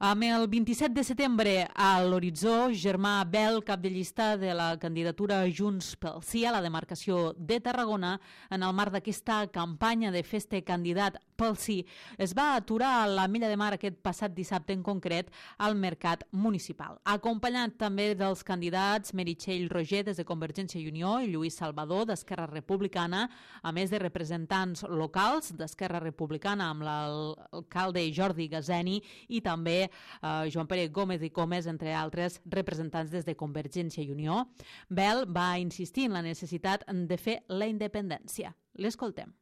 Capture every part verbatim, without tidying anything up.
Amb el vint-i-set de setembre a l'horitzó, Germà Bel, cap de llista de la candidatura Junts pel Sí a la demarcació de Tarragona, en el marc d'aquesta campanya de Fes-te candidat pel Sí, es va aturar a l'Ametlla de Mar aquest passat dissabte en concret al mercat municipal. Acompanyat també dels candidats Meritxell Roger des de Convergència i Unió i Lluís Salvador d'Esquerra Republicana, a més de representants locals d'Esquerra Republicana amb l'alcalde Jordi Gazeni i també Uh, Joan Pere Gómez i Comes, entre altres representants des de Convergència i Unió. Bel va insistir en la necessitat de fer la independència. L'escoltem.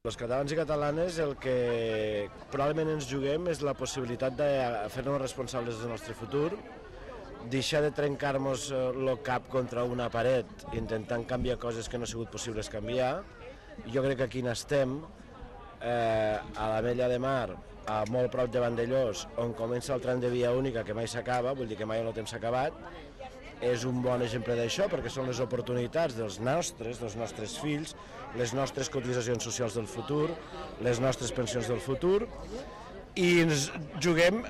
Els catalans i catalanes el que probablement ens juguem és la possibilitat de fer-nos responsables del nostre futur, deixar de trencar-nos el cap contra una paret intentant canviar coses que no ha sigut possibles canviar. Jo crec que aquí n'estem, eh, a l'Ametlla de Mar, a molt prop de Vandellós, on comença el tram de via única que mai s'acaba, vull dir que mai el temps s'ha acabat, és un bon exemple d'això perquè són les oportunitats dels nostres, dels nostres fills, les nostres cotitzacions socials del futur, les nostres pensions del futur, i ens juguem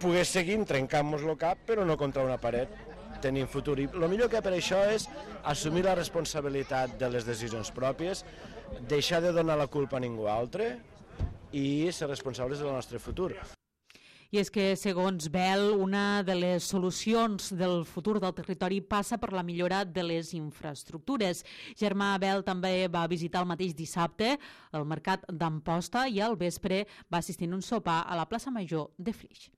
poder seguir trencant-nos el cap però no contra una paret, tenint futur. I el millor que per això és assumir la responsabilitat de les decisions pròpies, deixar de donar la culpa a ningú altre i ser responsables del nostre futur. I és que, segons Bel, una de les solucions del futur del territori passa per la millora de les infraestructures. Germà Bel també va visitar el mateix dissabte el mercat d'Amposta i al vespre va assistir a un sopar a la plaça Major de Flix.